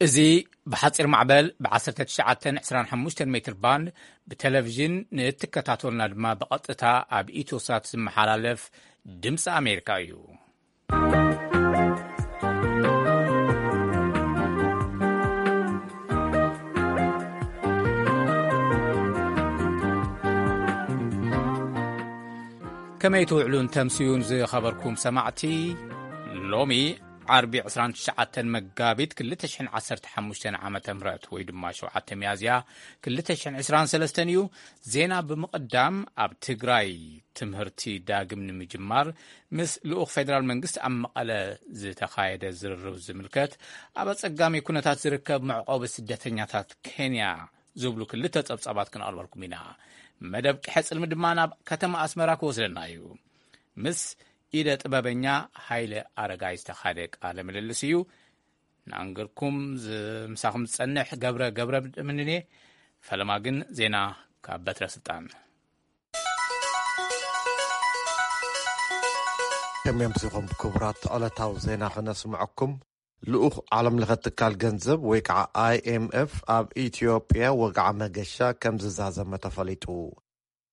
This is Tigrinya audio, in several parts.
እዚ ብሓጺር ማዕበል ብ19 25 ሜትር ባንድ ብቴሌቪዥን ንእትከታተሉና ድማ ብቐጥታ ኣብ ኢትዮሳት ዝመሓላለፍ ድምፂ ኣሜሪካ እዩ። ከመይ ትውዕሉን ተምስዩን ዝኸበርኩም ሰማዕቲ? ሎሚ ዓርቢ 29 መጋቢት 2015 ዓመተ ምህረት ወይ ድማ 7 ሚያዝያ 2023 እዩ። ዜና ብምቕዳም፣ ኣብ ትግራይ ትምህርቲ ዳግም ንምጅማር ምስ ልኡኽ ፌደራል መንግስቲ ኣብ መቐለ ዝተኻየደ ዝርርብ ዝምልከት፣ ኣብ ኣጸጋሚ ኩነታት ዝርከብ መዕቆቢ ስደተኛታት ኬንያ ዝብሉ ክልተ ጸብጻባት ክነቕርበልኩም ኢና። መደብ ቅሐ ጽልሚ ድማ ናብ ከተማ ኣስመራ ክወስደና እዩ። ምስ ኢደ ጥበበኛ ሃይለ ኣረጋይ ዝተኻደ ቃለ ምልልስ እዩ። ንኣንገርኩም ዝ-፣ ምሳኹም ዝጸንሕ ገብረ ገብረ ምንኔ። ፈለማ ግን ዜና ካብ በትረ ስልጣን። ከመይ ኣምሲኹም ክቡራት? ዕለታዊ ዜና ክነስምዐኩም። ልኡኽ ዓለም ለኸ ትካል ገንዘብ ወይ ከዓ ኣይኤምኤፍ ኣብ ኢትዮጵያ ወግዓ መገሻ ከም ዝዛዘመ ተፈሊጡ።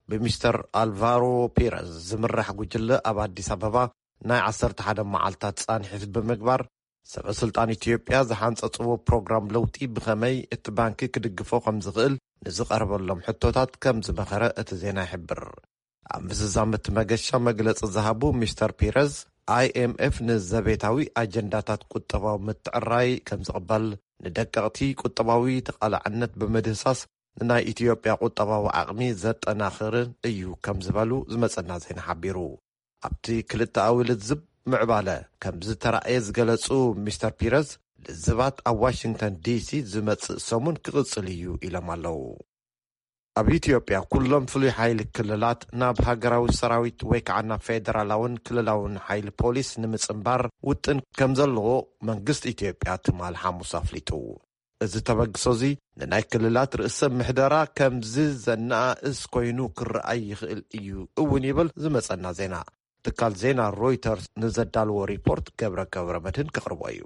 ብሚስተር ኣልቫሮ ፒረዝ ዝምራሕ ጉጅለ ኣብ ኣዲስ ኣበባ ናይ 11 መዓልታት ጻንሒት ብምግባር፣ ሰበ ስልጣን ኢትዮጵያ ዝሓንጸጽዎ ፕሮግራም ለውጢ ብኸመይ እቲ ባንኪ ክድግፎ ከም ዝኽእል ንዝቐርበሎም ሕቶታት ከም ዝመኸረ እቲ ዜና ይሕብር። ኣብ ምዝዛም እቲ መገሻ መግለጺ ዝሃቡ ሚስተር ፒረዝ፣ ኣይኤምኤፍ ንዘቤታዊ ኣጀንዳታት ቁጠባዊ ምትዕራይ ከም ዝቕበል፣ ንደቀቕቲ ቁጠባዊ ተቓላዕነት ብምድህሳስ ንናይ ኢትዮጵያ ቁጠባዊ ዓቕሚ ዘጠናኽርን እዩ ከም ዝበሉ ዝመጸና ዜና ሓቢሩ። ኣብቲ ክልተኣዊ ልዝብ ምዕባለ ከም ዝተራእየ ዝገለጹ ሚስተር ፒረዝ፣ ልዝባት ኣብ ዋሽንግተን ዲሲ ዝመጽእ ሰሙን ክቕጽል እዩ ኢሎም ኣለዉ። ኣብ ኢትዮጵያ ኩሎም ፍሉይ ሓይሊ ክልላት ናብ ሃገራዊ ሰራዊት ወይ ከዓ ናብ ፌደራላውን ክልላውን ሓይሊ ፖሊስ ንምጽንባር ውጥን ከም ዘለዎ መንግስቲ ኢትዮጵያ ትማል ሓሙስ ኣፍሊጡ። እዚ ተበግሶ እዚ ንናይ ክልላት ርእሰ ምሕደራ ከም ዝዘናእስ ኮይኑ ክረኣይ ይኽእል እዩ እውን ይብል ዝመጸና ዜና። ትካል ዜና ሮይተርስ ንዘዳልዎ ሪፖርት ገብረ ገብረ መድህን ከቕርቦ እዩ።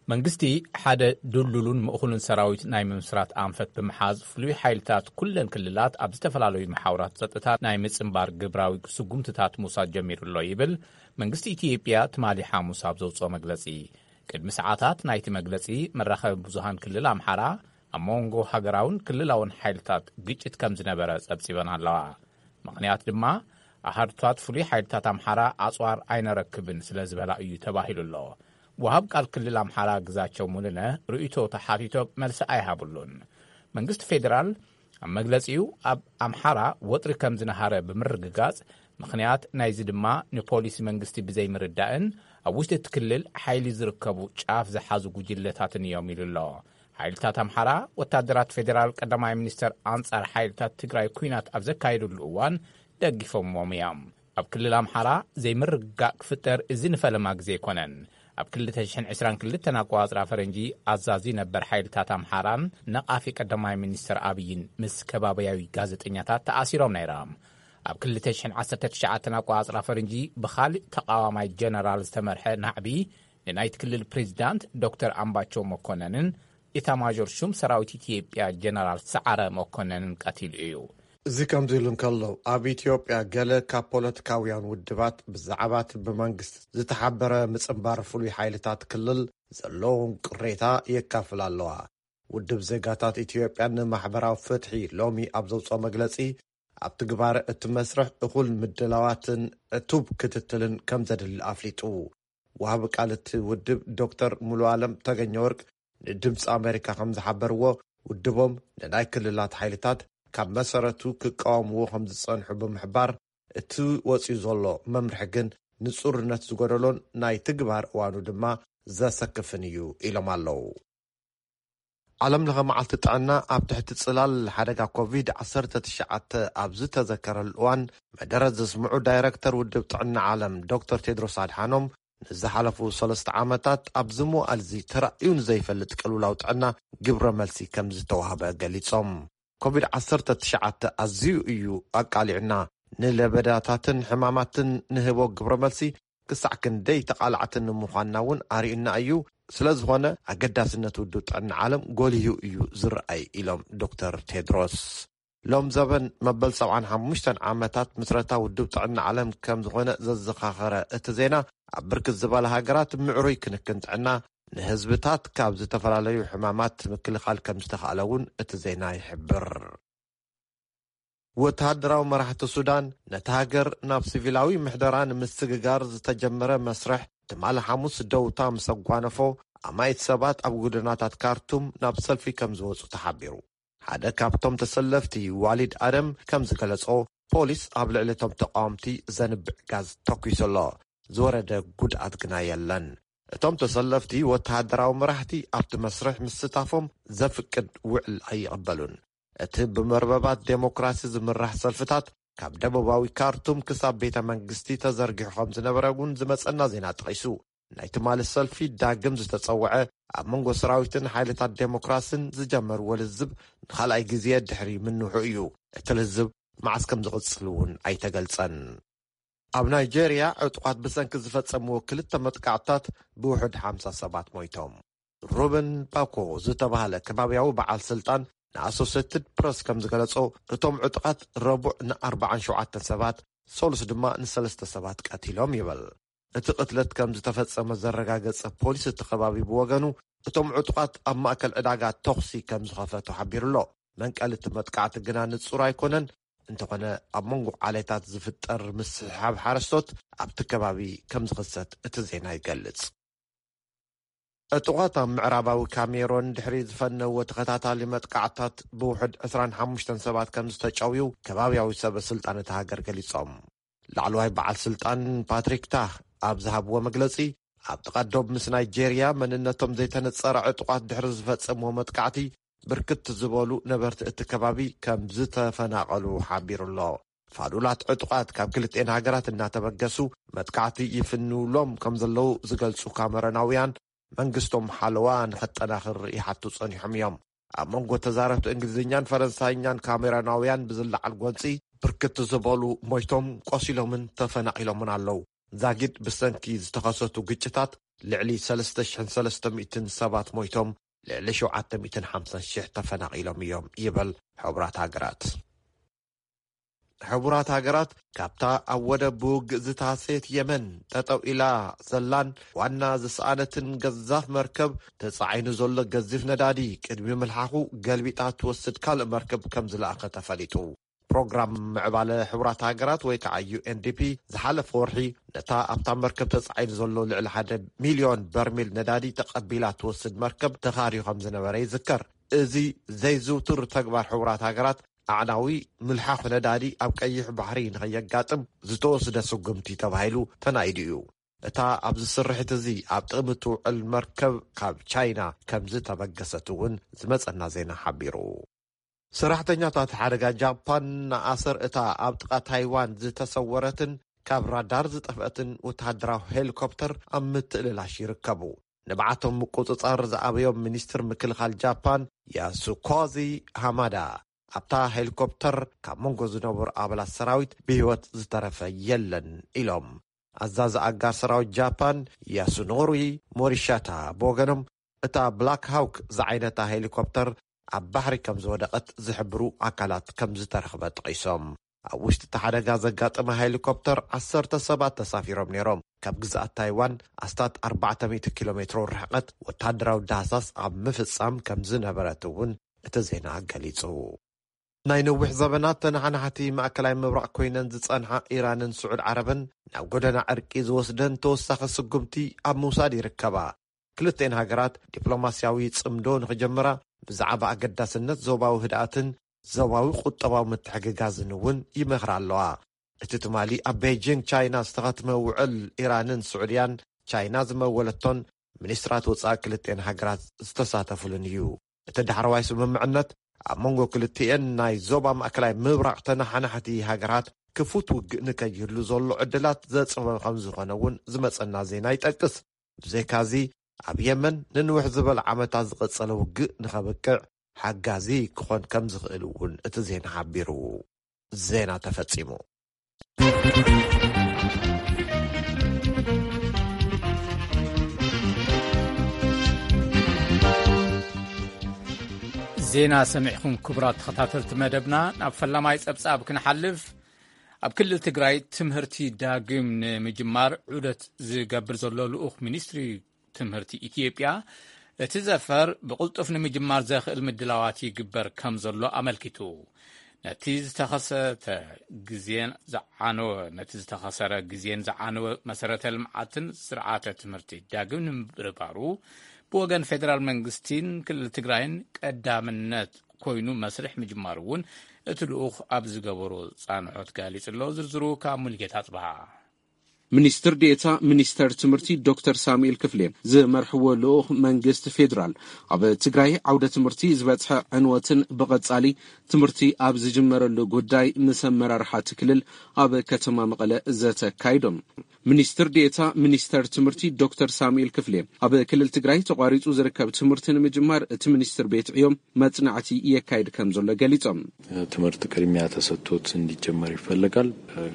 መንግስቲ ሓደ ድልዱሉን ምእኹልን ሰራዊት ናይ ምምስራት ኣንፈት ብምሓዝ፣ ፍሉይ ሓይልታት ኩለን ክልላት ኣብ ዝተፈላለዩ መሓውራት ጸጥታ ናይ ምጽንባር ግብራዊ ስጉምትታት ምውሳድ ጀሚሩ ኣሎ ይብል መንግስቲ ኢትዮጵያ ትማሊ ሓሙስ ኣብ ዘውጽኦ መግለጺ። ቅድሚ ሰዓታት ናይቲ መግለጺ፣ መራኸቢ ብዙሃን ክልል ኣምሓራ ኣብ መንጎ ሃገራውን ክልላውን ሓይልታት ግጭት ከም ዝነበረ ጸብጺበን ኣለዋ። ምኽንያት ድማ፣ ኣሃዱታት ፍሉይ ሓይልታት ኣምሓራ ኣጽዋር ኣይነረክብን ስለ ዝበላ እዩ ተባሂሉ ኣሎ። ወሃብ ቃል ክልል ኣምሓራ ግዛቸው ሙሉነ ርእይቶ ተሓቲቶ መልሲ ኣይሃብሉን። መንግስቲ ፌዴራል ኣብ መግለጺኡ፣ ኣብ ኣምሓራ ወጥሪ ከም ዝነሃረ ብምርግጋጽ፣ ምኽንያት ናይዚ ድማ ንፖሊሲ መንግስቲ ብዘይምርዳእን ኣብ ውሽጢ እቲ ክልል ሓይሊ ዝርከቡ ጫፍ ዝሓዙ ጉጅለታትን እዮም ኢሉ ኣሎ። ሓይልታት ኣምሓራ፣ ወታደራት ፌዴራል ቀዳማይ ሚኒስተር ኣንጻር ሓይልታት ትግራይ ኲናት ኣብ ዘካየዱሉ እዋን፣ ደጊፎምዎም እዮም። ኣብ ክልል ኣምሓራ ዘይምርግጋእ ክፍጠር እዚ ንፈለማ ግዜ ኣይኮነን። ኣብ 2022 ኣቆጻጽራ ፈረንጂ፣ ኣዛዚ ነበር ሓይልታት ኣምሓራን ነቓፊ ቀዳማይ ሚኒስተር ኣብይን ምስ ከባቢያዊ ጋዜጠኛታት ተኣሲሮም ነይሮም። ኣብ 2019 ኣቆጻጽራ ፈረንጂ፣ ብኻልእ ተቓዋማይ ጀነራል ዝተመርሐ ናዕቢ፣ ንናይቲ ክልል ፕሬዚዳንት ዶክተር ኣምባቸው መኮነንን ኢታማዦር ሹም ሰራዊት ኢትዮጵያ ጀነራል ሰዓረ መኮነንን ቀቲሉ እዩ። እዚ ከምዚ ኢሉ እንከሎ፣ ኣብ ኢትዮጵያ ገለ ካብ ፖለቲካውያን ውድባት ብዛዕባ እቲ ብመንግስቲ ዝተሓበረ ምጽንባር ፍሉይ ሓይልታት ክልል ዘለዎም ቅሬታ የካፍላ ኣለዋ። ውድብ ዜጋታት ኢትዮጵያ ንማሕበራዊ ፍትሒ ሎሚ ኣብ ዘውጽኦ መግለጺ፣ ኣብ ትግባረ እቲ መስርሕ እኹል ምድላዋትን ዕቱብ ክትትልን ከም ዘድሊ ኣፍሊጡ። ወሃቢ ቃል እቲ ውድብ ዶክተር ሙሉ ኣለም ተገኘ ወርቅ ንድምፂ ኣሜሪካ ከም ዝሓበርዎ፣ ውድቦም ንናይ ክልላት ሓይልታት ካብ መሰረቱ ክቃወምዎ ከም ዝጸንሑ ብምሕባር፣ እቲ ወፂኡ ዘሎ መምርሒ ግን ንጹርነት ዝጎደሎን ናይ ትግባር እዋኑ ድማ ዘሰክፍን እዩ ኢሎም ኣለዉ። ዓለም ለኸ መዓልቲ ጥዕና ኣብ ትሕቲ ጽላል ሓደጋ ኮቪድ-19 ኣብ ዝተዘከረሉ እዋን፣ መደረ ዘስምዑ ዳይረክተር ውድብ ጥዕና ዓለም ዶክተር ቴድሮስ ኣድሓኖም፣ ንዝሓለፉ ሰለስተ ዓመታት ኣብዚ መዋእልዚ ተራእዩ ንዘይፈልጥ ቅልውላው ጥዕና ግብረ መልሲ ከም ዝተዋህበ ገሊጾም። ኮቪድ-19 ኣዝዩ እዩ ኣቃሊዑና። ንለበዳታትን ሕማማትን ንህቦ ግብረ መልሲ ክሳዕ ክንደይ ተቓላዕቲ ንምዃንና እውን ኣርእዩና እዩ። ስለ ዝኾነ ኣገዳስነት ውድብ ጥዕና ዓለም ጎሊሁ እዩ ዝረኣይ ኢሎም ዶክተር ቴድሮስ። ሎም ዘበን መበል ሰብዓን ሓሙሽተን ዓመታት ምስረታ ውድብ ጥዕና ዓለም ከም ዝኾነ ዘዘኻኸረ እቲ ዜና፣ ኣብ ብርክት ዝበላ ሃገራት ምዕሩይ ክንክን ጥዕና ንህዝብታት ካብ ዝተፈላለዩ ሕማማት ምክልኻል ከም ዝተኻእለ እውን እቲ ዜና ይሕብር። ወተሃደራዊ መራሕቲ ሱዳን ነቲ ሃገር ናብ ሲቪላዊ ምሕደራ ንምስግጋር ዝተጀመረ መስርሕ ትማሊ ሓሙስ ደውታ ምስ ኣጓነፎ፣ ኣማኢት ሰባት ኣብ ጎደናታት ካርቱም ናብ ሰልፊ ከም ዝወጹ ተሓቢሩ። ሓደ ካብቶም ተሰለፍቲ ዋሊድ ኣደም ከም ዝገለጾ፣ ፖሊስ ኣብ ልዕሊ እቶም ተቃወምቲ ዘንብዕ ጋዝ ተኲሱ ኣሎ። ዝወረደ ጉድኣት ግና የለን። እቶም ተሰለፍቲ ወተሃደራዊ መራሕቲ ኣብቲ መስርሕ ምስታፎም ዘፍቅድ ውዕል ኣይቕበሉን። እቲ ብመርበባት ዴሞክራሲ ዝምራሕ ሰልፍታት ካብ ደቡባዊ ካርቱም ክሳብ ቤተ መንግስቲ ተዘርጊሑ ከም ዝነበረ እውን ዝመጸና ዜና ጠቒሱ። ናይ ትማሊ ሰልፊ ዳግም ዝተጸውዐ ኣብ መንጎ ሰራዊትን ሓይልታት ዴሞክራስን ዝጀመርዎ ልዝብ ንኻልኣይ ግዜ ድሕሪ ምንውሑ እዩ። እቲ ልዝብ መዓስ ከም ዝቕጽል እውን ኣይተገልጸን። ኣብ ናይጄርያ ዕጡቓት ብሰንኪ ዝፈጸምዎ ክልተ መጥቃዕትታት ብውሑድ ሓምሳ ሰባት ሞይቶም። ሩበን ባኮ ዝተባህለ ከባብያዊ በዓል ስልጣን ንኣሶሴትድ ፕረስ ከም ዝገለጾ፣ እቶም ዕጡቓት ረቡዕ ንኣርባዓን ሸውዓተን ሰባት፣ ሰሉስ ድማ ንሰለስተ ሰባት ቀቲሎም ይብል። እቲ ቅትለት ከም ዝተፈጸመ ዘረጋገጸ ፖሊስ እቲ ከባቢ ብወገኑ፣ እቶም ዕጡቓት ኣብ ማእከል ዕዳጋ ተኹሲ ከም ዝኸፈቱ ሓቢሩ ኣሎ። መንቀሊ እቲ መጥቃዕቲ ግና ንጹር ኣይኮነን። እንተኾነ፣ ኣብ መንጎ ዓሌታት ዝፍጠር ምስሕሓብ ሓረስቶት ኣብቲ ከባቢ ከም ዝኽሰት እቲ ዜና ይገልጽ። ዕጡቓት ኣብ ምዕራባዊ ካሜሮን ድሕሪ ዝፈነዎ ተኸታታሊ መጥቃዕታት ብውሕድ ዕስራን ሓሙሽተን ሰባት ከም ዝተጨውዩ ከባብያዊ ሰበ ስልጣን እታ ሃገር ገሊጾም። ላዕለዋይ በዓል ስልጣን ፓትሪክ ታህ ኣብ ዝሃብዎ መግለጺ፣ ኣብ ጥቓ ዶብ ምስ ናይጄርያ መንነቶም ዘይተነጸረ ዕጡቓት ድሕሪ ዝፈጸምዎ መጥቃዕቲ፣ ብርክት ዝበሉ ነበርቲ እቲ ከባቢ ከም ዝተፈናቐሉ ሓቢሩ ኣሎ። ፋዱላት ዕጡቓት ካብ ክልቲኤን ሃገራት እናተበገሱ መጥቃዕቲ ይፍንውሎም ከም ዘለዉ ዝገልጹ ካሜሮናውያን፣ መንግስቶም ሓለዋ ንኸጠናኽር ይሓቱ ጸኒሖም እዮም። ኣብ መንጎ ተዛረብቲ እንግሊዝኛን ፈረንሳይኛን ካሜሮናውያን ብዝለዓል ጎንጺ፣ ብርክት ዝበሉ ሞይቶም፣ ቆሲሎምን ተፈናቒሎምን ኣለዉ። ዛጊድ ብሰንኪ ዝተኸሰቱ ግጭታት ልዕሊ ሰለስተ ሽሕን ሰለስተ ሚእትን ሰባት ሞይቶም፣ ልዕሊ ሸውዓተ ሚእትን ሓምሳን ሽሕ ተፈናቒሎም እዮም ይብል ሕቡራት ሃገራት። ሕቡራት ሃገራት ካብታ ኣብ ወደብ ብውግእ ዝተሃሰየት የመን ጠጠው ኢላ ዘላን ዋና ዝሰኣነትን ገዛፍ መርከብ፣ ተጻዒኑ ዘሎ ገዚፍ ነዳዲ ቅድሚ ምልሓኹ ገልቢጣ ትወስድ ካልእ መርከብ ከም ዝለኣኸ ተፈሊጡ። ፕሮግራም ምዕባለ ሕቡራት ሃገራት ወይ ከዓ ዩ ኤን ዲ ፒ ዝሓለፈ ወርሒ ነታ ኣብታ መርከብ ተጻዒኑ ዘሎ ልዕሊ ሓደ ሚልዮን በርሚል ነዳዲ ተቐቢላ ትወስድ መርከብ ተኻርዩ ከም ዝነበረ ይዝከር። እዚ ዘይዝውቱር ተግባር ሕቡራት ሃገራት ኣዕናዊ ምልሓኽ ነዳዲ ኣብ ቀይሕ ባሕሪ ንኸየጋጥም ዝተወስደ ስጉምቲ ተባሂሉ ተናኢዱ እዩ። እታ ኣብዚ ስርሒት እዚ ኣብ ጥቕሚ ትውዕል መርከብ ካብ ቻይና ከም ዝተበገሰት እውን ዝመጸና ዜና ሓቢሩ። ሰራሕተኛታት ሓደጋ ጃፓን ንኣሰር እታ ኣብ ጥቓ ታይዋን ዝተሰወረትን ካብ ራዳር ዝጠፍአትን ወተሃደራዊ ሄሊኮፕተር ኣብ ምትእልላሽ ይርከቡ። ንብዓቶም ምቁጽጻር ዝኣበዮም ሚኒስትር ምክልኻል ጃፓን ያሱኮዚ ሃማዳ፣ ኣብታ ሄሊኮፕተር ካብ መንጎ ዝነበሩ ኣባላት ሰራዊት ብህይወት ዝተረፈ የለን ኢሎም። ኣዛዚ ኣጋር ሰራዊት ጃፓን ያሱኖሪ ሞሪሻታ ብወገኖም፣ እታ ብላክ ሃውክ ዝዓይነታ ሄሊኮፕተር ኣብ ባሕሪ ከም ዝወደቐት ዝሕብሩ ኣካላት ከም ዝተረኽበ ጠቒሶም። ኣብ ውሽጢ እቲ ሓደጋ ዘጋጠመ ሄሊኮፕተር ዓሰርተ ሰባት ተሳፊሮም ነይሮም። ካብ ግዝኣት ታይዋን ኣስታት ኣርባዕተ ሚእቲ ኪሎ ሜትሮ ርሕቀት ወታደራዊ ዳህሳስ ኣብ ምፍጻም ከም ዝነበረት እውን እቲ ዜና ገሊጹ። ናይ ነዊሕ ዘበናት ተነሓናሕቲ ማእከላይ ምብራቕ ኮይነን ዝጸንሓ ኢራንን ስዑድ ዓረብን ናብ ጎደና ዕርቂ ዝወስደን ተወሳኺ ስጉምቲ ኣብ ምውሳድ ይርከባ። ክልተን ሃገራት ዲፕሎማስያዊ ጽምዶ ንኽጀምራ ብዛዕባ ኣገዳስነት ዞባዊ ህድኣትን ዞባዊ ቁጠባዊ ምትሕግጋዝን እውን ይመኽራ ኣለዋ። እቲ ትማሊ ኣብ ቤጂንግ ቻይና ዝተኸትመ ውዕል ኢራንን ስዑድያን ቻይና ዝመወለቶን ሚኒስትራት ወጻኢ ክልተን ሃገራት ዝተሳተፉሉን እዩ። እቲ ዳሕረዋይ ስምምዕነት ኣብ መንጎ ክልቲኤን ናይ ዞባ ማእከላይ ምብራቕ ተነሓናሕቲ ሃገራት ክፉት ውግእ ንከይህሉ ዘሎ ዕድላት ዘጽበበ ከም ዝኾነ እውን ዝመጸና ዜና ይጠቅስ። ብዘይካዚ ኣብ የመን ንንውሕ ዝበለ ዓመታት ዝቐጸለ ውግእ ንኸብቅዕ ሓጋዚ ክኾን ከም ዝኽእል እውን እቲ ዜና ሓቢሩ። ዜና ተፈጺሙ። ዜና ሰሚዕኹም ክቡራት ተኸታተልቲ መደብና። ናብ ፈላማይ ጸብጻብ ክንሓልፍ፣ ኣብ ክልል ትግራይ ትምህርቲ ዳግም ንምጅማር ዑደት ዝገብር ዘሎ ልኡኽ ሚኒስትሪ ትምህርቲ ኢትዮጵያ፣ እቲ ዘፈር ብቕልጡፍ ንምጅማር ዘኽእል ምድላዋት ይግበር ከም ዘሎ ኣመልኪቱ። ነቲ ዝተኸሰተ ግዜን ዝዓነወ ነቲ ዝተኸሰረ ግዜን ዝዓነወ መሰረተ ልምዓትን ስርዓተ ትምህርቲ ዳግም ንምብርባሩ፣ ብወገን ፌደራል መንግስቲን ክልል ትግራይን ቀዳምነት ኮይኑ መስርሕ ምጅማሩ እውን እቲ ልኡኽ ኣብ ዝገበሮ ጻንሖት ገሊጹ ኣሎ። ዝርዝሩ ካብ ሙልጌታ ጽብሃ። ሚኒስትር ዴኤታ ሚኒስተር ትምህርቲ ዶክተር ሳሙኤል ክፍሌ ዝመርሕዎ ልኡኽ መንግስቲ ፌዴራል፣ ኣብ ትግራይ ዓውደ ትምህርቲ ዝበጽሐ ዕንወትን ብቐጻሊ ትምህርቲ ኣብ ዝጅመረሉ ጉዳይ ምስ ኣመራርሓ እቲ ክልል ኣብ ከተማ መቐለ ዘተ ኣካይዶም። ሚኒስትር ዴኤታ ሚኒስተር ትምህርቲ ዶክተር ሳሙኤል ክፍሌ፣ ኣብ ክልል ትግራይ ተቋሪጹ ዝርከብ ትምህርቲ ንምጅማር እቲ ሚኒስትር ቤት ዕዮ መጽናዕቲ የካይድ ከም ዘሎ ገሊጾም። ትምህርት ቅድሚያ ተሰጥቶት እንዲጀመር ይፈለጋል።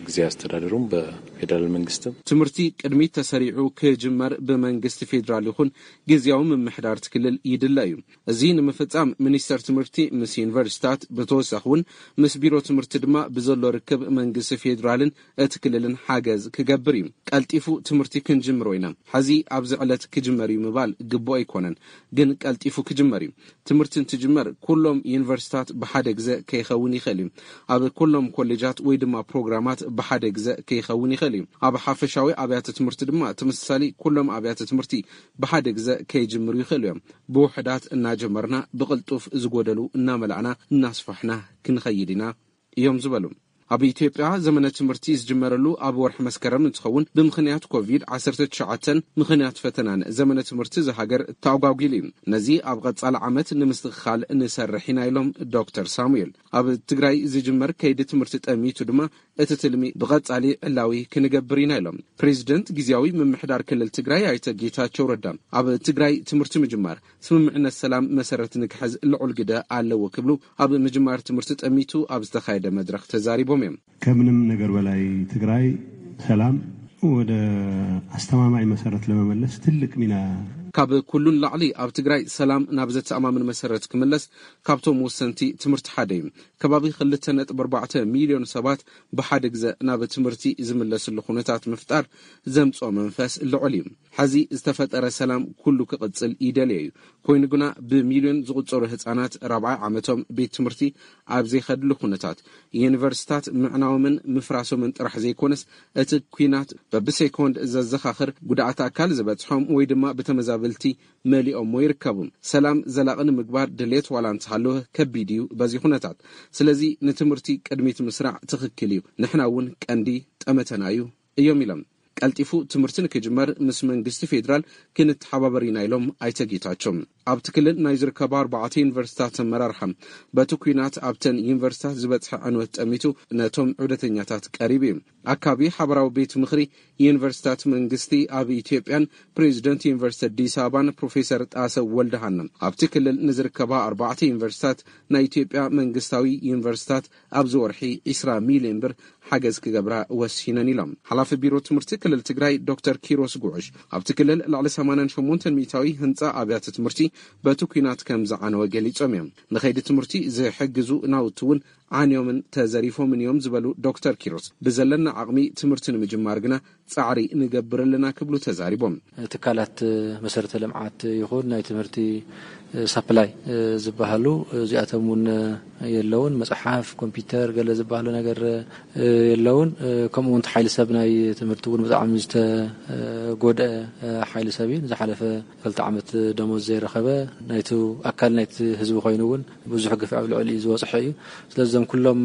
ጊዜ አስተዳደሩም በፌዴራል መንግስትም ትምህርቲ ቅድሚት ተሰሪዑ ክጅመር ብመንግስቲ ፌዴራል ይኹን ግዜያዊ ምምሕዳር እቲ ክልል ይድለ እዩ። እዚ ንምፍጻም ሚኒስተር ትምህርቲ ምስ ዩኒቨርሲታት፣ ብተወሳኺ እውን ምስ ቢሮ ትምህርቲ ድማ ብዘሎ ርክብ መንግስቲ ፌዴራልን እቲ ክልልን ሓገዝ ክገብር እዩ። ቀልጢፉ ትምህርቲ ክንጅምሮ ኢና። ሕዚ ኣብዚ ዕለት ክጅመር እዩ ምባል ግቡእ ኣይኮነን፣ ግን ቀልጢፉ ክጅመር እዩ። ትምህርቲ እንትጅመር ኩሎም ዩኒቨርሲታት ብሓደ ግዘ ከይኸውን ይኽእል እዩ። ኣብ ኩሎም ኮሌጃት ወይ ድማ ፕሮግራማት ብሓደ ግዘ ከይኸውን ይኽእል እዩ። ኣብ ሓፈሻዊ ኣብያተ ትምህርቲ ድማ ተመሳሳሊ ኩሎም ኣብያተ ትምህርቲ ብሓደ ግዘ ከይጅምሩ ይኽእሉ እዮም። ብውሕዳት እናጀመርና ብቕልጡፍ ዝጎደሉ እናመላእና እናስፋሕና ክንኸይድ ኢና እዮም ዝበሉ። ኣብ ኢትዮጵያ ዘመነ ትምህርቲ ዝጅመረሉ ኣብ ወርሒ መስከረም እንትኸውን፣ ብምኽንያት ኮቪድ ዓሰርተ ትሽዓተ ምኽንያት ፈተናን ዘመነ ትምህርቲ ዝሃገር ተኣጓጒሉ እዩ። ነዚ ኣብ ቐጻሊ ዓመት ንምስትኽኻል ንሰርሕ ኢና ኢሎም ዶክተር ሳሙኤል። ኣብ ትግራይ ዝጅመር ከይዲ ትምህርቲ ጠሚቱ ድማ እቲ ትልሚ ብቐጻሊ ዕላዊ ክንገብር ኢና ኢሎም። ፕሬዚደንት ግዜያዊ ምምሕዳር ክልል ትግራይ ኣይተ ጌታቸው ረዳ፣ ኣብ ትግራይ ትምህርቲ ምጅማር ስምምዕነት ሰላም መሰረት ንክሕዝ ልዑል ግደ ኣለዎ ክብሉ ኣብ ምጅማር ትምህርቲ ጠሚቱ ኣብ ዝተኻየደ መድረኽ ተዛሪቦም እዮም። ከምንም ነገር በላይ ትግራይ ሰላም ወደ አስተማማኝ መሰረት ለመመለስ ትልቅ ሚና ካብ ኩሉን ላዕሊ ኣብ ትግራይ ሰላም ናብ ዘተኣማምን መሰረት ክምለስ ካብቶም ወሰንቲ ትምህርቲ ሓደ እዩ። ከባቢ ክልተ ነጥቢ ኣርባዕተ ሚልዮን ሰባት ብሓደ ግዘ ናብ ትምህርቲ ዝምለስሉ ኩነታት ምፍጣር ዘምፅኦ መንፈስ ልዑል እዩ። ሕዚ ዝተፈጠረ ሰላም ኩሉ ክቕጽል ይደልዮ እዩ። ኮይኑ ግና ብሚልዮን ዝቑጸሩ ህጻናት ራብዓይ ዓመቶም ቤት ትምህርቲ ኣብ ዘይኸድሉ ኩነታት፣ ዩኒቨርሲታት ምዕናዎምን ምፍራሶምን ጥራሕ ዘይኮነስ፣ እቲ ኲናት በብሴኮንድ ዘዘኻኽር ጉድኣት ኣካል ዝበጽሖም ወይ ድማ ብተመዛበልቲ መሊኦሞ ይርከቡ። ሰላም ዘላቒ ንምግባር ድሌት ዋላ እንተሃለወ ከቢድ እዩ በዚ ኩነታት። ስለዚ ንትምህርቲ ቅድሚት ምስራዕ ትኽክል እዩ። ንሕና እውን ቀንዲ ጠመተና እዩ እዮም ኢሎም። ቀልጢፉ ትምህርቲ ንክጅመር ምስ መንግስቲ ፌዴራል ክንተሓባበር ኢና ኢሎም ኣይተ ጌታቸው። ኣብቲ ክልል ናይ ዝርከባ ኣርባዕተ ዩኒቨርሲታት ኣመራርሓ በቲ ኲናት ኣብተን ዩኒቨርሲታት ዝበፅሐ ዕንወት ጠሚቱ ነቶም ዑደተኛታት ቀሪቡ እዩ። ኣካቢ ሓበራዊ ቤት ምኽሪ ዩኒቨርሲታት መንግስቲ ኣብ ኢትዮጵያን ፕሬዚደንት ዩኒቨርሲቲ ኣዲስ ኣበባን ፕሮፌሰር ጣሰው ወልደሃና ኣብቲ ክልል ንዝርከባ ኣርባዕተ ዩኒቨርሲታት ናይ ኢትዮጵያ መንግስታዊ ዩኒቨርሲታት ኣብዚ ወርሒ ዕስራ ሚልዮን ብር ሓገዝ ክገብራ ወሲነን ኢሎም። ሓላፊ ቢሮ ትምህርቲ ክልል ትግራይ ዶክተር ኪሮስ ጉዑሽ ኣብቲ ክልል ልዕሊ ሰማንያን ሸሞንተን ሚእታዊ ህንፃ ኣብያተ ትምህርቲ በቲ ኲናት ከም ዝዓነወ ገሊጾም እዮም። ንኸይዲ ትምህርቲ ዝሕግዙ ናውቲ እውን ዓንዮምን ተዘሪፎምን እዮም ዝበሉ ዶክተር ኪሮስ፣ ብዘለና ዓቕሚ ትምህርቲ ንምጅማር ግና ጻዕሪ ንገብር ኣለና ክብሉ ተዛሪቦም። ትካላት መሰረተ ልምዓት ይኹን ናይ ትምህርቲ ሳፕላይ ዝበሃሉ እዚኣቶም እውን የለውን። መጽሓፍ፣ ኮምፒውተር፣ ገለ ዝበሃሉ ነገር የለውን። ከምኡ እውን ሓይሊ ሰብ ናይ ትምህርቲ እውን ብጣዕሚ ዝተጎድአ ሓይሊ ሰብ እዩ። ንዝሓለፈ ክልተ ዓመት ደሞዝ ዘይረኸበ ናይቲ ኣካል ናይቲ ህዝቢ ኮይኑ እውን ብዙሕ ግፍዒ ኣብ ልዕሊኡ ዝበፅሐ እዩ። ስለዚ እዞም ኩሎም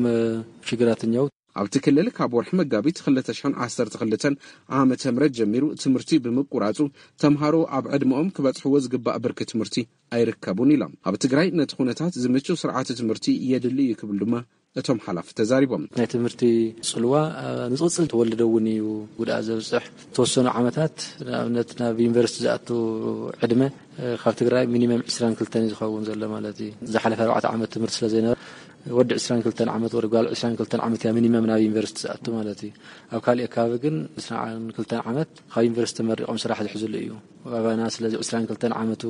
ሽግራት እኛው ኣብቲ ክልል ካብ ወርሒ መጋቢት ክልተ ሽሕን ዓሰርተ ክልተን ዓመተ ምህረት ጀሚሩ ትምህርቲ ብምቁራጹ፣ ተምሃሮ ኣብ ዕድመኦም ክበጽሕዎ ዝግባእ ብርኪ ትምህርቲ ኣይርከቡን ኢሎም። ኣብ ትግራይ ነቲ ኩነታት ዝምችው ስርዓተ ትምህርቲ የድሊ እዩ ክብል ድማ እቶም ሓላፊ ተዛሪቦም። ናይ ትምህርቲ ጽልዋ ንዝቕጽል ተወልደ እውን እዩ ጉድኣት ዘብጽሕ። ዝተወሰኑ ዓመታት ንኣብነት ናብ ዩኒቨርሲቲ ዝኣቱ ዕድመ ካብ ትግራይ ሚኒመም ዕስራን ክልተን እዩ ዝኸውን ዘሎ ማለት እዩ። ዝሓለፈ ኣርባዕተ ዓመት ትምህርቲ ስለ ዘይነበረ ወዲ ዕስራን ክልተን ዓመት ወዲ ጓል ዕስራን ክልተን ዓመት እያ ሚኒመም ናብ ዩኒቨርሲቲ ዝኣቱ ማለት እዩ። ኣብ ካሊእ ከባቢ ግን ዕስራን ክልተን ዓመት ካብ ዩኒቨርሲቲ ተመሪቖም ስራሕ ዝሕዝሉ እዩ ኣባና። ስለዚ ዕስራን ክልተን ዓመቱ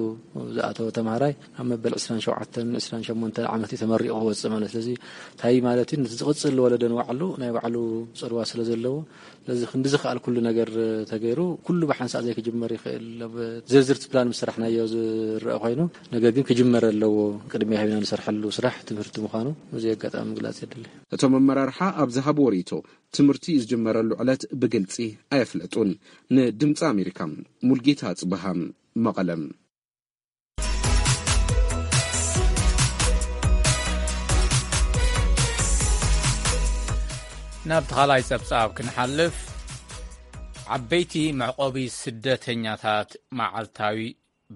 ዝኣተወ ተምሃራይ ኣብ መበል ዕስራን ሸውዓተን ዕስራን ሸሞንተን ዓመት እዩ ተመሪቑ ክወፅእ ማለት። ስለዚ እንታይ ማለት እዩ? ዝቕፅል ወለዶ ንባዕሉ ናይ ባዕሉ ፅልዋ ስለ ዘለዎ፣ ስለዚ ክንዲ ዝኸኣል ኩሉ ነገር ተገይሩ፣ ኩሉ ብሓንሳእ ዘይክጅመር ይኽእል። ኣብ ዝርዝር ፕላን ምስ ሰራሕናዮ ዝረአ ኮይኑ፣ ነገር ግን ክጅመር ኣለዎ። ቅድሚያ ሂብና ንሰርሐሉ ስራሕ ትምህርቲ ምዃኑ እዚ ኣጋጣሚ ምግላፅ የድሊ። እቶም ኣመራርሓ ኣብ ዝሃብዎ ርእይቶ፣ ትምህርቲ ዝጅመረሉ ዕለት ብግልጺ ኣየፍለጡን። ንድምፂ ኣሜሪካ፣ ሙልጌታ ኣጽብሃ፣ መቐለም። ናብ ተኻላይ ጸብጻብ ክንሓልፍ፣ ዓበይቲ መዕቆቢ ስደተኛታት መዓልታዊ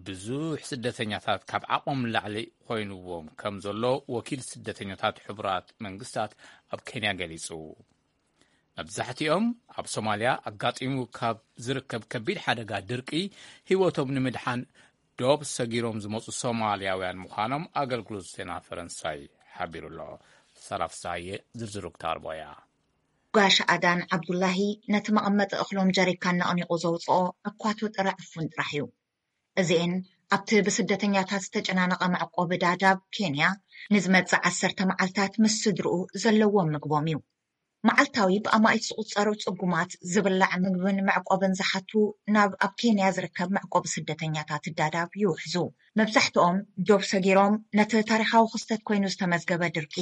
ብዙሕ ስደተኛታት ካብ ዓቕሞም ንላዕሊ ኮይንዎም ከም ዘሎ ወኪል ስደተኛታት ሕቡራት መንግስታት ኣብ ኬንያ ገሊጹ። መብዛሕትኦም ኣብ ሶማልያ ኣጋጢሙ ካብ ዝርከብ ከቢድ ሓደጋ ድርቂ ህይወቶም ንምድሓን ዶብ ሰጊሮም ዝመጹ ሶማልያውያን ምዃኖም ኣገልግሎት ዜና ፈረንሳይ ሓቢሩ ኣሎ። ሰራፍሳየ ዝርዝሩ ክታርቦያ። ጋሽ ኣዳን ዓብዱላሂ ነቲ መቐመጢ እኽሎም ጀሪካን ነቕኒቑ ዘውፅኦ ኣኳቱ ጥረ ዕፉን ጥራሕ እዩ። እዚኤን ኣብቲ ብስደተኛታት ዝተጨናነቐ መዕቆቢ ዳዳብ ኬንያ ንዝመፅእ ዓሰርተ መዓልታት ምስ ስድርኡ ዘለዎም ምግቦም እዩ። መዓልታዊ ብኣማኢት ዝቑጸሩ ጽጉማት ዝብላዕ ምግብን መዕቆብን ዝሓቱ ናብ ኣብ ኬንያ ዝርከብ መዕቆቢ ስደተኛታት ዳዳብ ይውሕዙ። መብዛሕትኦም ዶብ ሰጊሮም ነቲ ታሪኻዊ ክስተት ኮይኑ ዝተመዝገበ ድርቂ፣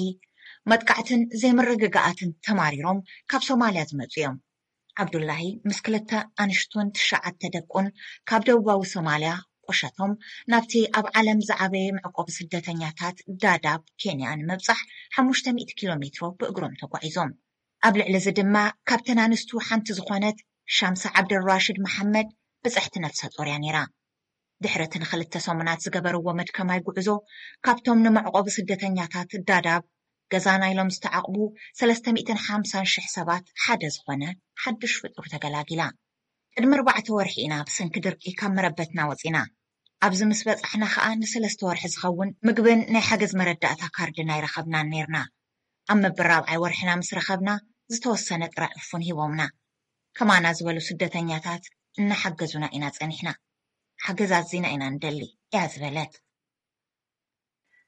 መጥቃዕትን ዘይምርግጋኣትን ተማሪሮም ካብ ሶማልያ ዝመጹ እዮም። ዓብዱላሂ ምስ ክልተ ኣንሽቱን ትሽዓተ ደቁን ካብ ደቡባዊ ሶማልያ ቁሸቶም ናብቲ ኣብ ዓለም ዝዓበየ መዕቆቢ ስደተኛታት ዳዳብ ኬንያ ንምብጻሕ ሓሙሽተ ሚእቲ ኪሎ ሜትሮ ብእግሮም ተጓዒዞም። ኣብ ልዕሊ እዚ ድማ ካብተን ኣንስቱ ሓንቲ ዝኾነት ሻምሳ ዓብደልራሽድ መሓመድ ብጽሕቲ ነፍሰ ጦር እያ ነይራ። ድሕሪ እቲ ንኽልተ ሰሙናት ዝገበርዎ መድከማይ ጉዕዞ ካብቶም ንመዕቆቢ ስደተኛታት ዳዳብ ገዛና ኢሎም ዝተዓቕቡ ሰለስተ ሚእትን ሓምሳን ሽሕ ሰባት ሓደ ዝኾነ ሓድሽ ፍጡር ተገላጊላ። ቅድሚ ኣርባዕተ ወርሒ ኢና ብሰንኪ ድርቂ ካብ መረበትና ወጺና። ኣብዚ ምስ በጻሕና ከኣ ንሰለስተ ወርሒ ዝኸውን ምግብን ናይ ሓገዝ መረዳእታ ካርድን ኣይረኸብናን ኔርና። ኣብ መበል ራብዓይ ወርሕና ምስ ረኸብና ዝተወሰነ ጥረ ዕፉን ሂቦምና። ከማና ዝበሉ ስደተኛታት እናሓገዙና ኢና ጸኒሕና። ሓገዝ ኣዚና ኢና ንደሊ እያ ዝበለት።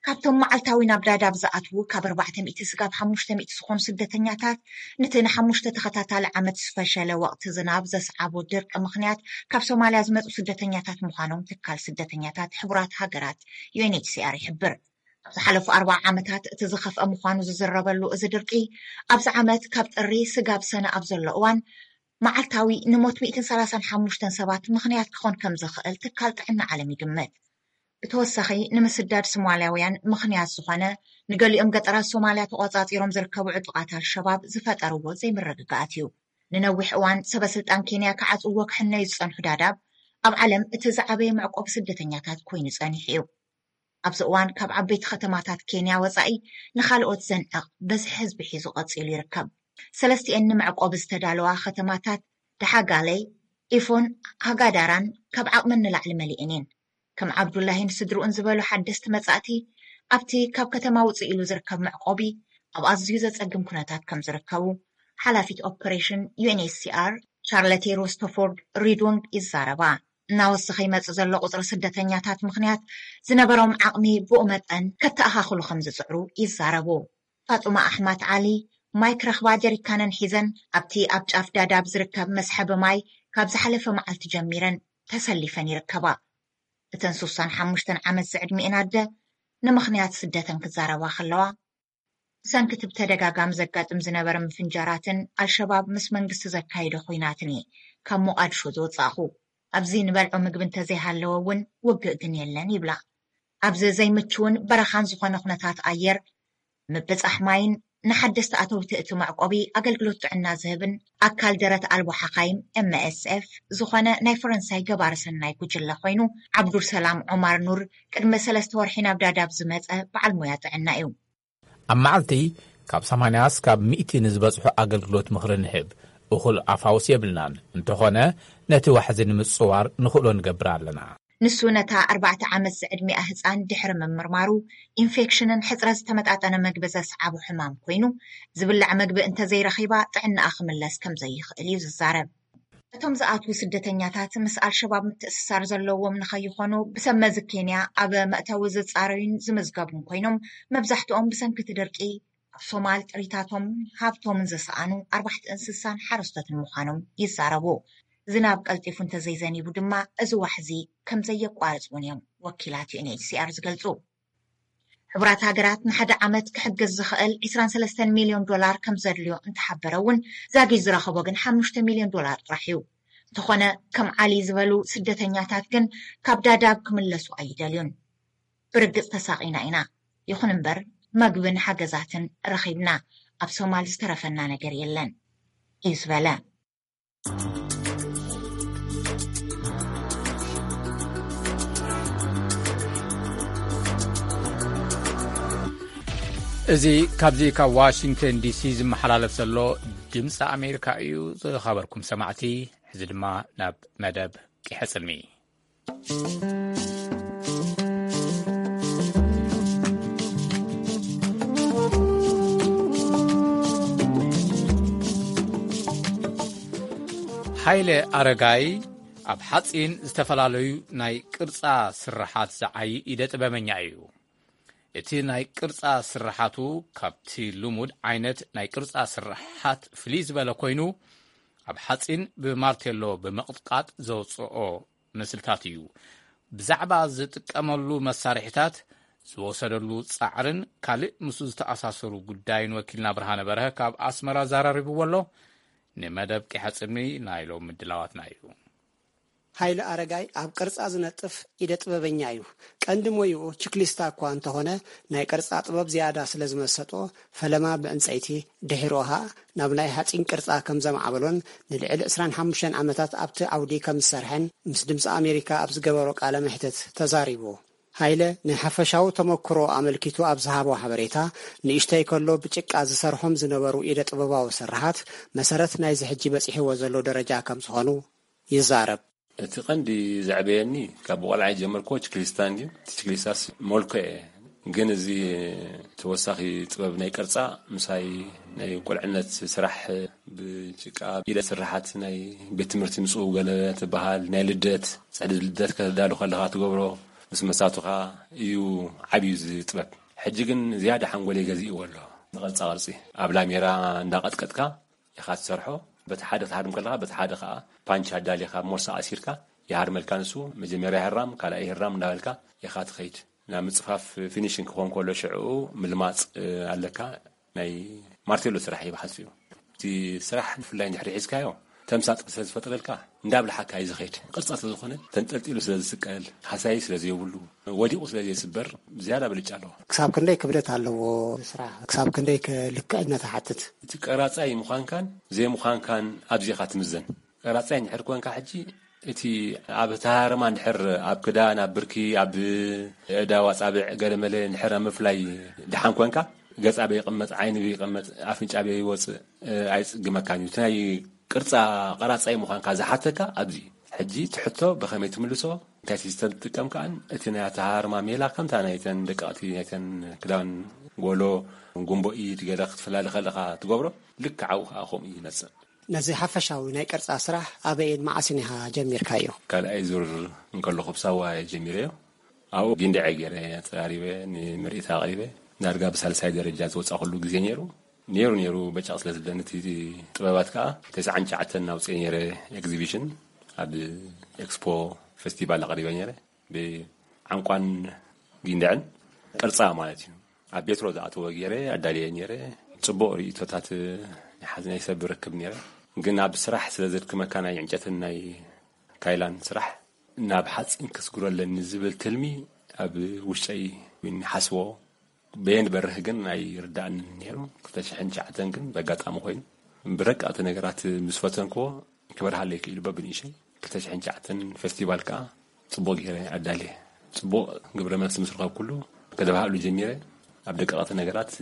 ካብቶም መዓልታዊ ናብ ዳዳብ ዝኣትዉ ካብ ኣርባዕተ ሚእቲ ስጋብ ሓሙሽተ ሚእቲ ዝኾኑ ስደተኛታት ነቲ ንሓሙሽተ ተኸታታሊ ዓመት ዝፈሸለ ወቕቲ ዝናብ ዘስዓቦ ድርቂ ምኽንያት ካብ ሶማልያ ዝመጹ ስደተኛታት ምዃኖም ትካል ስደተኛታት ሕቡራት ሃገራት ዩ ኤን ኤች ሲ ኣር ይሕብር። ኣብ ዝሓለፉ ኣርባዓ ዓመታት እቲ ዝኸፍአ ምዃኑ ዝዝረበሉ እዚ ድርቂ ኣብዚ ዓመት ካብ ጥሪ ስጋብ ሰነ ኣብ ዘሎ እዋን መዓልታዊ ንሞት ሚእትን ሰላሳን ሓሙሽተን ሰባት ምኽንያት ክኾን ከም ዝኽእል ትካል ጥዕና ዓለም ይግምት። ብተወሳኺ ንምስዳድ ሶማልያውያን ምኽንያት ዝኾነ ንገሊኦም ገጠራት ሶማልያ ተቖጻጺሮም ዝርከቡ ዕጡቓት ኣልሸባብ ዝፈጠርዎ ዘይምርግጋኣት እዩ። ንነዊሕ እዋን ሰበ ስልጣን ኬንያ ክዓጽዎ ክሕነዩ ዝጸንሑ ዳዳብ ኣብ ዓለም እቲ ዝዓበየ መዕቆቢ ስደተኛታት ኮይኑ ጸኒሑ እዩ። ኣብዚ እዋን ካብ ዓበይቲ ከተማታት ኬንያ ወጻኢ ንኻልኦት ዘንዕቕ በዝሒ ህዝቢ ሒዙ ቀጺሉ ይርከብ። ሰለስቲኤን ንመዕቆቢ ዝተዳለዋ ከተማታት ደሓጋለይ፣ ኢፎን፣ ሃጋዳራን ካብ ዓቕመን ንላዕሊ መሊኤን እየን። ከም ዓብዱላሂን ስድርኡን ዝበሉ ሓደስቲ መጻእቲ ኣብቲ ካብ ከተማ ውፅእ ኢሉ ዝርከብ መዕቆቢ ኣብ ኣዝዩ ዘጸግም ኩነታት ከም ዝርከቡ ሓላፊት ኦፐሬሽን ዩ ኤን ኤች ሲ ኣር ቻርለቴ ሮስተፎርድ ሪዱንግ ይዛረባ። እናወሰኸ ይመጽእ ዘሎ ቁጽሪ ስደተኛታት ምኽንያት ዝነበሮም ዓቕሚ ብኡ መጠን ከተኣኻኽሉ ከም ዝጽዕሩ ይዛረቡ። ፋጡማ ኣሕማት ዓሊ ማይክ ረኽባ ጀሪካነን ሒዘን ኣብቲ ኣብ ጫፍ ዳዳብ ዝርከብ መስሐቢ ማይ ካብ ዝሓለፈ መዓልቲ ጀሚረን ተሰሊፈን ይርከባ። እተን ሱሳን ሓሙሽተን ዓመት ዝዕድሚኤን ኣደ ንምኽንያት ስደተን ክዛረባ ከለዋ ብሰንኪ እቲ ብተደጋጋሚ ዘጋጥም ዝነበረ ምፍንጃራትን ኣልሸባብ ምስ መንግስቲ ዘካይዶ ኹናትን እየ ካብ ሞቓድሾ ዝወጻእኹ። ኣብዚ ንበልዖ ምግቢ እንተዘይሃለወ እውን ውግእ ግን የለን ይብላ። ኣብዚ ዘይምችውን በረኻን ዝኾነ ኩነታት ኣየር ምብጻሕ ማይን ንሓደስቲ ኣተውቲ እቲ መዕቆቢ ኣገልግሎት ጥዕና ዝህብን ኣካል ደረት ኣልቦ ሓኻይም ኤም ኤስ ኤፍ ዝኾነ ናይ ፈረንሳይ ገባሪ ሰናይ ጉጅለ ኮይኑ ዓብዱልሰላም ዑማር ኑር ቅድሚ ሰለስተ ወርሒ ናብ ዳዳብ ዝመጸ በዓል ሞያ ጥዕና እዩ። ኣብ መዓልቲ ካብ ሰማንያ እስካብ ሚእቲ ንዝበጽሑ ኣገልግሎት ምኽሪ ንህብ። እኹል ኣፋውስ የብልናን። እንተኾነ ነቲ ዋሕዚ ንምጽዋር ንኽእሎ ንገብር ኣለና። ንሱ ነታ ኣርባዕተ ዓመት ዝዕድሚኣ ህጻን ድሕሪ ምምርማሩ፣ ኢንፌክሽንን ሕጽረት ዝተመጣጠነ መግቢ ዘስዓቦ ሕማም ኮይኑ፣ ዝብላዕ መግቢ እንተዘይረኺባ ጥዕናኣ ክምለስ ከም ዘይኽእል እዩ ዝዛረብ። እቶም ዝኣትዉ ስደተኛታት ምስ ኣልሸባብ ምትእስሳር ዘለዎም ንኸይኾኑ ብሰብ መዚ ኬንያ ኣብ መእተዊ ዝጻረዩን ዝምዝገቡን ኮይኖም፣ መብዛሕትኦም ብሰንኪ እቲ ድርቂ ኣብ ሶማል ጥሪታቶም ሃብቶምን ዝሰኣኑ ኣርባሕቲ እንስሳን ሓረስቶትን ምዃኖም ይዛረቡ። ዝናብ ቀልጢፉ እንተዘይዘኒቡ ድማ እዚ ዋሕዚ ከም ዘየቋርጽ እውን እዮም ወኪላት ዩ ኤን ኤች ሲ ኣር ዝገልጹ። ሕቡራት ሃገራት ንሓደ ዓመት ክሕግዝ ዝኽእል ዕስራን ሰለስተን ሚልዮን ዶላር ከም ዘድልዮ እንተሓበረ እውን፣ ዛጊድ ዝረኸቦ ግን ሓሙሽተ ሚልዮን ዶላር ጥራሕ እዩ። እንተኾነ፣ ከም ዓሊ ዝበሉ ስደተኛታት ግን ካብ ዳዳብ ክምለሱ ኣይደልዩን። ብርግጽ ተሳቒና ኢና፣ ይኹን እምበር መግብን ሓገዛትን ረኺብና፣ ኣብ ሶማል ዝተረፈና ነገር የለን እዩ ዝበለ። እዚ ካብዚ ካብ ዋሽንግተን ዲሲ ዝመሓላለፍ ዘሎ ድምፂ ኣሜሪካ እዩ። ዝኸበርኩም ሰማዕቲ፣ ሕዚ ድማ ናብ መደብ ቂሐ ጽልሚ። ሃይለ ኣረጋይ ኣብ ሓጺን ዝተፈላለዩ ናይ ቅርጻ ስርሓት ዝዓዪ ኢደ ጥበበኛ እዩ። እቲ ናይ ቅርጻ ስርሓቱ ካብቲ ልሙድ ዓይነት ናይ ቅርጻ ስርሓት ፍልይ ዝበለ ኮይኑ፣ ኣብ ሓጺን ብማርቴሎ ብምቕጥቃጥ ዘውጽኦ ምስልታት እዩ። ብዛዕባ ዝጥቀመሉ መሳርሒታት፣ ዝወሰደሉ ጻዕርን ካልእ ምስኡ ዝተኣሳሰሩ ጉዳይን ወኪልና ብርሃነ በርሀ ካብ ኣስመራ ዘራሪብዎ ኣሎ። ንመደብ ቂሐ ጽልሚ ናይ ሎም ምድላዋትና እዩ። ሃይለ ኣረጋይ ኣብ ቅርጻ ዝነጥፍ ኢደ ጥበበኛ እዩ። ቀንዲ ሞይኡ ችክሊስታ እኳ እንተኾነ፣ ናይ ቅርጻ ጥበብ ዝያዳ ስለ ዝመሰጦ፣ ፈለማ ብዕንጸይቲ፣ ድሒሩ ኸኣ ናብ ናይ ሓጺን ቅርጻ ከም ዘማዕበሎን ንልዕሊ ዕስራን ሓሙሽተን ዓመታት ኣብቲ ዓውዲ ከም ዝሰርሐን ምስ ድምጺ ኣሜሪካ ኣብ ዝገበሮ ቃለ መሕትት ተዛሪቡ። ሃይለ ንሓፈሻዊ ተመክሮ ኣመልኪቱ ኣብ ዝሃቦ ሓበሬታ፣ ንእሽተይ ከሎ ብጭቃ ዝሰርሖም ዝነበሩ ኢደ ጥበባዊ ስርሓት መሰረት ናይዚ ሕጂ በጺሕዎ ዘሎ ደረጃ ከም ዝኾኑ ይዛረብ። እቲ ቀንዲ ዘዕበየኒ ካብ ቆልዓ ጀመርኮ ችክሊስታ እንድዩ። እቲ ችክሊስታስ ሞልኮ እየ። ግን እዚ ተወሳኺ ጥበብ ናይ ቅርጻ ምሳይ ናይ ቁልዕነት ስራሕ ብጭቃ ኢደ ስርሓት ናይ ቤት ትምህርቲ ምጽኡ ገለ ትበሃል ናይ ልደት ጽሕዲ ልደት ከተዳሉ ከለኻ ትገብሮ ምስ መሳቱኻ እዩ ዓብዩ እዚ ጥበብ። ሕጂ ግን ዝያዳ ሓንጎለይ ገዚእዎ ኣሎ። ንቅርጻ ቅርጺ ኣብ ላሜራ እንዳቀጥቀጥካ ኢኻ ትሰርሖ። በቲ ሓደ ክትሃርም ከለኻ በቲ ሓደ ከዓ ፓንች ኣዳሊኻ ሞርሳ ኣሲርካ ይሃርመልካ። ንሱ መጀመርያ ይህራም ካልኣይ ይህራም እንዳበልካ ኢኻ ትኸይድ። ናብ ምፅፋፍ ፊኒሽን ክኾን ከሎ ሽዕኡ ምልማፅ ኣለካ። ናይ ማርቴሎ ስራሕ ይበሓሱ እዩ። እቲ ስራሕ ብፍላይ እንድሕሪ ሒዝካዮ ተምሳጥ ስለ ዝፈጥረልካ እንዳብልሓካ እዩ ዝኸይድ። ቅርፃ ስለዝኾነ ተንጠልጢሉ ስለ ዝስቀል ሃሳይ ስለ ዘይብሉ ወዲቑ ስለ ዘይስበር ዝያዳ ብልጫ ኣለዎ። ክሳብ ክንደይ ክብደት ኣለዎ ስራሕ? ክሳብ ክንደይ ከ ልክዕነት ይሓትት? እቲ ቀራፃይ ምዃንካን ዘይምዃንካን ኣብዚኻ ትምዘን። ቀራፃይ እንድሕር ኮንካ ሕጂ እቲ ኣብ ተሃረማ እንድሕር ኣብ ክዳን ኣብ ብርኪ ኣብ እዳ ዋፃብዕ ገለመለ እንድሕር ኣብ ምፍላይ ድሓን ኮንካ ገፅ ኣበይ ይቕመጥ ዓይኒ ኣበይ ይቕመጥ ኣፍንጫ ኣበይ ይወፅእ ኣይፅግመካን እዩ። እቲ ናይ ቅርፃ ቀራፃይ ምዃንካ ዝሓተካ ኣብዚ ሕጂ እቲ ሕቶ ብኸመይ ትምልሶ እንታይ ሲስተም ትጥቀም ከኣን እቲ ናይ ኣተሃርማ ሜላ ከምታ ናይተን ደቀቕቲ ናይተን ክዳን ጎሎ ጉንቦ ኢድ ገለ ክትፈላለ ከለኻ ትገብሮ ልክዕ ኣብኡ ከዓ ከምኡ ይመፅእ። ነዚ ሓፈሻዊ ናይ ቅርፃ ስራሕ ኣበይን መዓስን ኢኻ ጀሚርካዮ? ካልኣይ ዙር እንከለኹ ብሳዋ እየ ጀሚረዮ። ኣብኡ ጊንደዐ ገይረ ኣፀራሪበ ንምርኢት ኣቕሪበ። ዳርጋ ብሳልሳይ ደረጃ ዝወፃእኩሉ ግዜ ነይሩ። ነይሩ ነይሩ በጫቕ ስለ ዝብለኒ እቲ ጥበባት ከዓ ተስዓን ትሽዓተን ኣውፅኤ ነይረ። ኤግዚቢሽን ኣብ ኤክስፖ ፌስቲቫል ኣቕሪበ ነይረ። ብዓንቋን ጊንደዐን ቅርፃ ማለት እዩ። ኣብ ቤትሮ ዝኣተወ ገይረ ኣዳልየ ነይረ። ፅቡቕ ርእቶታት ናይ ሓዝ ናይ ሰብ ርክብ ነይረ። ግን ኣብ ስራሕ ስለ ዘድክመካ ናይ ዕንጨትን ናይ ካይላን ስራሕ ናብ ሓፂን ከስግሮ ኣለኒ ዝብል ትልሚ ኣብ ውሽጠይ ይሓስቦ። በየን በርህ ግን ኣይርዳእንን ነይሩ። ክልተ ሽሕን ትሽዓተን ግን በጋጣሚ ኮይኑ ብረቃቕቲ ነገራት ምስ ፈተንክዎ ክበርሃለይ ክኢሉ በብንእሸይ ክልተ ሽሕን ትሽዓተን ፌስቲቫል ከዓ ፅቡቕ ገይረ ኣዳልየ። ፅቡቕ ግብረ መልሲ ምስ ረኸብኩሉ ከተባህሉ ጀሚረ። ኣብ ደቀቕቲ ነገራት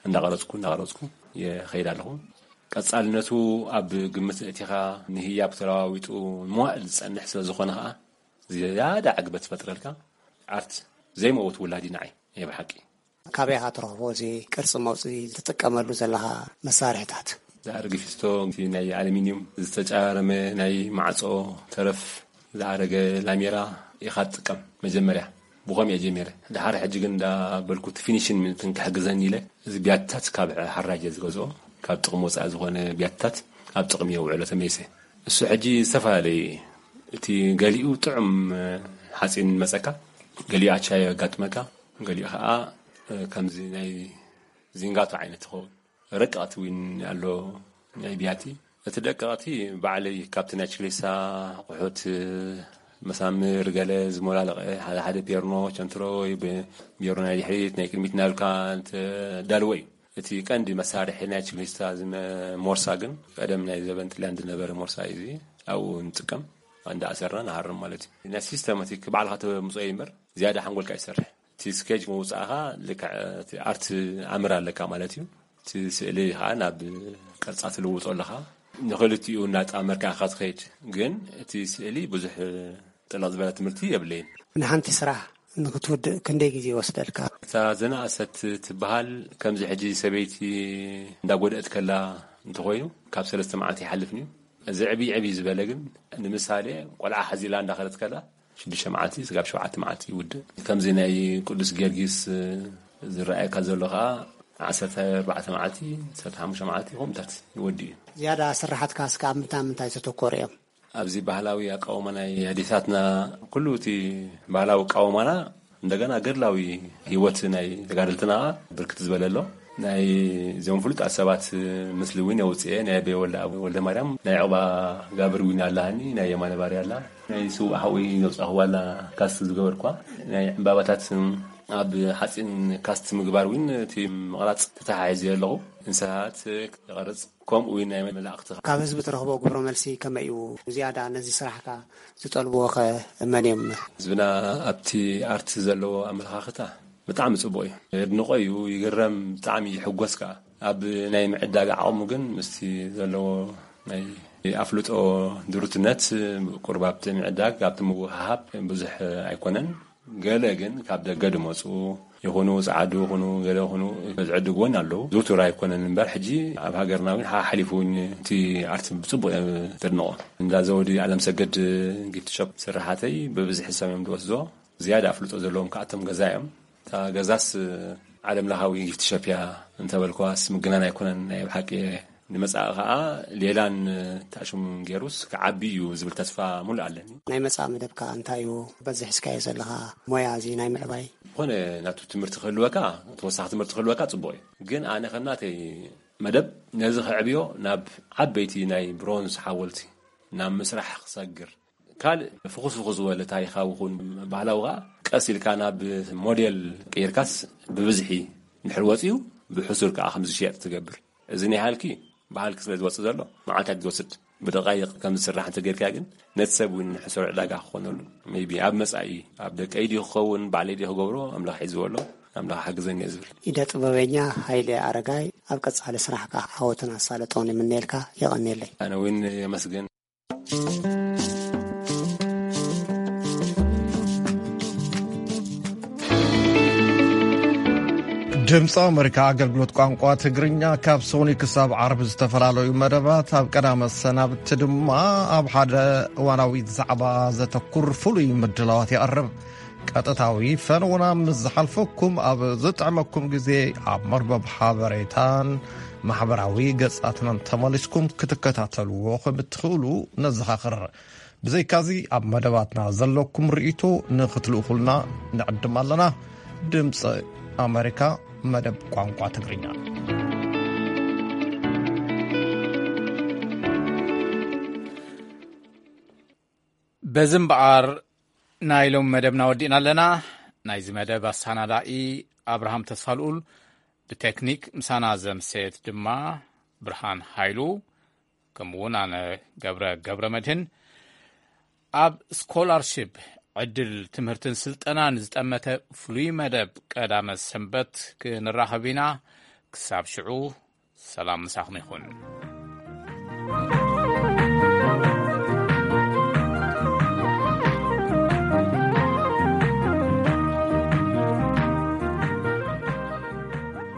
እንዳቐረፅኩ እንዳቐረፅኩ የኸይድ ኣለኹ። ቀፃልነቱ ኣብ ግምት እቲኻ ንህያብ ተለዋዊጡ መዋእል ዝፀንሕ ስለ ዝኾነ ከዓ ዝያዳ ዕግበት ትፈጥረልካ ኣርት ዘይመውት ውላዲ ንዓይ ናይ ብሓቂ። ካበይ ኢኻ ትረኽቦ እዚ ቅርፂ መውፅኢ ትጥቀመሉ ዘለኻ መሳርሕታት? ዝኣረገ ፊስቶ፣ እቲ ናይ ኣሉሚንዩም ዝተጫረመ ናይ ማዕፆ ተረፍ፣ ዝኣረገ ላሜራ ኢኻ ትጥቀም መጀመርያ። ብኸም እየ ጀሚረ። ድሓር ሕጂ ግን እንዳበልኩ እቲ ፊኒሽን ምንትን ክሕግዘኒ ኢለ፣ እዚ ቢያትታት ካብ ሓራጀ ዝገዝኦ፣ ካብ ጥቕሚ ወፃኢ ዝኾነ ቢያትታት ኣብ ጥቕሚ የውዕሎ ተመይሰ። እሱ ሕጂ ዝተፈላለዩ፣ እቲ ገሊኡ ጥዑም ሓፂን መፀካ፣ ገሊኡ ኣቻዮ የጋጥመካ፣ ገሊኡ ከዓ ከምዚ ናይ ዚንጋቶ ዓይነት ትኸውን። ረቀቕቲ እውን ኣሎ ናይ ቢያቲ። እቲ ደቀቕቲ ባዕለይ ካብቲ ናይ ችክሊሳ ኣቑሑት፣ መሳምር ገለ ዝሞላለቐ፣ ሓደ ሓደ ፔርኖ፣ ቸንትሮ ወይ ብ-፣ ፔርኖ ናይ ድሕሪት ናይ ቅድሚት እናበልካ እንተዳልዎ እዩ። እቲ ቀንዲ መሳርሒ ናይ ችክሊስታ ዝመ-፣ ሞርሳ ግን ቀደም ናይ ዘበን ጥልያን ዝነበረ ሞርሳ እዩ። እዚ ኣብኡ ንጥቀም፣ እንዳኣሰርና ንሃርም ማለት እዩ። ናይ ሲስተማቲክ ባዕልኻ ተምፅኦ እዩ እምበር ዝያዳ ሓንጎልካ ይሰርሕ። እቲ ስኬጅ ምውፃእኻ ልክዕ እቲ ኣርት ኣምር ኣለካ ማለት እዩ። እቲ ስእሊ ከዓ ናብ ቅርፃ ትልውጦ ኣለኻ። ንክልቲኡ እናጣመርካ ኢኻ ትኸይድ። ግን እቲ ስእሊ ብዙሕ ጥልቕ ዝበለ ትምህርቲ የብለይን። ንሓንቲ ስራሕ ንክትውድእ ክንደይ ግዜ ይወስደልካ? እታ ዝነኣሰት ትበሃል ከምዚ ሕጂ ሰበይቲ እንዳጎደአት ከላ እንተኾይኑ ካብ ሰለስተ መዓልቲ ይሓልፍን እዩ። እዚ ዕብይ ዕብይ ዝበለ ግን ንምሳሌ ቆልዓ ሓዚላ እንዳኸደት ከላ ሽዱሽተ መዓልቲ ስጋብ ሸውዓተ መዓልቲ ይውድእ። ከምዚ ናይ ቅዱስ ጊዮርጊስ ዝረኣየካ ዘሎ ከዓ ዓሰርተ ኣርባዕተ መዓልቲ፣ ዓሰርተ ሓሙሽተ መዓልቲ ከምኡታት ይወዲ እዩ። ዝያዳ ስራሓትካ እስከ ኣብ ምንታይ ምንታይ ዘተኮሩ እዮም? ኣብዚ ባህላዊ ኣቃውማ ናይ ኣዴታትና፣ ኩሉ እቲ ባህላዊ ኣቃውማና፣ እንደገና ገድላዊ ህይወት ናይ ተጋደልትና ብርክት ዝበለ ኣሎ። ናይ እዚኦም ፍሉጣት ሰባት ምስሊ እውን የውፅኤ። ናይ ኣበይ ወልደ፣ ወልደ ማርያም፣ ናይ ዕቑባ ጋብር እውን ኣላሃኒ፣ ናይ የማነ ባርያ ኣላ፣ ናይ ስውእ ሓወይ ዘውፃእኽዋ ኣላ፣ ካስት ዝገበርኳ ናይ ዕምባባታት ኣብ ሓፂን ካስት ምግባር እውን እቲ ምቕራፅ ተተሓሒዘ ኣለኹ። እንስሳት ይቐርፅ። ከምኡ እውን ናይ መላእኽቲ። ካብ ህዝቢ ትረኽቦ ግብረ መልሲ ከመይ እዩ? ዝያዳ ነዚ ስራሕካ ዝጠልብዎ ኸ መን እዮም? ህዝብና ኣብቲ ኣርት ዘለዎ ኣመለኻኽታ ብጣዕሚ ፅቡቕ እዩ። የድንቖ እዩ፣ ይግረም፣ ብጣዕሚ ይሕጎስ ከዓ። ኣብ ናይ ምዕዳግ ዓቕሙ ግን ምስቲ ዘለዎ ናይ ኣፍልጦ ድሩትነት ቁሩብ ኣብቲ ምዕዳግ፣ ኣብቲ ምውህሃብ ብዙሕ ኣይኮነን። ገለ ግን ካብ ደገ ድመፁ ይኹኑ፣ ፃዓዱ ይኹኑ፣ ገለ ይኹኑ፣ ዝዕድግወን ኣለዉ። ዝውቱር ኣይኮነን እምበር፣ ሕጂ ኣብ ሃገርና እውን ሓሓሊፉ እውን እቲ ኣርት ብፅቡቅ እየ ዘድንቆ። እንዳ ዘውዲ ኣለምሰገድ ጊፍት ሾፕ ስርሓተይ ብብዝሒ ሰብ እዮም ዝወስዶ። ዝያዳ ኣፍልጦ ዘለዎም ከኣቶም ገዛ እዮም። እታ ገዛስ ዓለም ለኻዊ ጊፍት ሾፕ እያ እንተበልኳስ ምግናን ኣይኮነን፣ ናይ ብሓቂ እየ። ንመጻኢ ከኣ ሌላን ታሽሙን ገይሩስ ክዓቢ እዩ ዝብል ተስፋ ሙሉእ ኣለኒ። ናይ መጻኢ መደብካ እንታይ እዩ? በዚ ሒዝካዮ ዘለኻ ሞያ እዚ ናይ ምዕባይ? ዝኾነ ናቱ ትምህርቲ ክህልወካ፣ ተወሳኺ ትምህርቲ ክህልወካ ጽቡቕ እዩ። ግን ኣነ ከም ናተይ መደብ ነዚ ከዕብዮ ናብ ዓበይቲ ናይ ብሮንዝ ሓወልቲ ናብ ምስራሕ ክሰግር፣ ካልእ ፍኹስ ፍኹስ ዝበለ ታሪኻዊ ይኹን ባህላዊ ከኣ ቀስ ኢልካ ናብ ሞዴል ቀይርካስ ብብዝሒ እንድሕር ወጺኡ ብሕሱር ከኣ ከም ዝሽየጥ ትገብር። እዚ ናይ ሃልኪ ብሃልኪ ስለ ዝወጽእ ዘሎ መዓልታት ዝወስድ፣ ብደቃይቕ ከም ዝስራሕ እንተጌርካ ግን ነቲ ሰብ እውን ሕሱር ዕዳጋ ክኾነሉ። ሜይቢ ኣብ መጻኢ ኣብ ደቀይ ድዩ ክኸውን፣ ባዕለይ ድዩ ክገብሮ፣ ኣምላኽ ሒዝዎ ኣሎ፣ ኣምላኽ ሓግዘኒ እየ ዝብል። ኢደ ጥበበኛ ሃይለ ኣረጋይ፣ ኣብ ቀጻሊ ስራሕካ ዓወትን ኣሳልጦን ይምነየልካ። የቐንየለይ። ኣነ እውን የመስግን። ድምፂ ኣመሪካ ኣገልግሎት ቋንቋ ትግርኛ ካብ ሶኒ ክሳብ ዓርቢ ዝተፈላለዩ መደባት፣ ኣብ ቀዳመ ሰናብቲ ድማ ኣብ ሓደ እዋናዊ ዛዕባ ዘተኩር ፍሉይ ምድላዋት የቕርብ። ቀጥታዊ ፈነውና ምስ ዝሓልፈኩም ኣብ ዝጥዕመኩም ግዜ ኣብ መርበብ ሓበሬታን ማሕበራዊ ገጻትናን ተመሊስኩም ክትከታተልዎ ከም እትኽእሉ ነዘኻኽር። ብዘይካዚ ኣብ መደባትና ዘለኩም ርእይቶ ንኽትልእኹልና ንዕድም ኣለና። ድምፂ ኣመሪካ መደብ ቋንቋ ትግርኛ። በዚ እምበኣር ናይ ሎም መደብና ወዲእና ኣለና። ናይዚ መደብ ኣሰናዳኢ ኣብርሃም ተስፋልኡል፣ ብቴክኒክ ምሳና ዘምሰየት ድማ ብርሃን ሃይሉ፣ ከምኡ እውን ኣነ ገብረ ገብረ መድህን። ኣብ ስኮላርሺፕ ዕድል ትምህርትን ስልጠናን ዝጠመተ ፍሉይ መደብ ቀዳመ ሰንበት ክንራኸብ ኢና። ክሳብ ሽዑ ሰላም ምሳኹም ይኹን።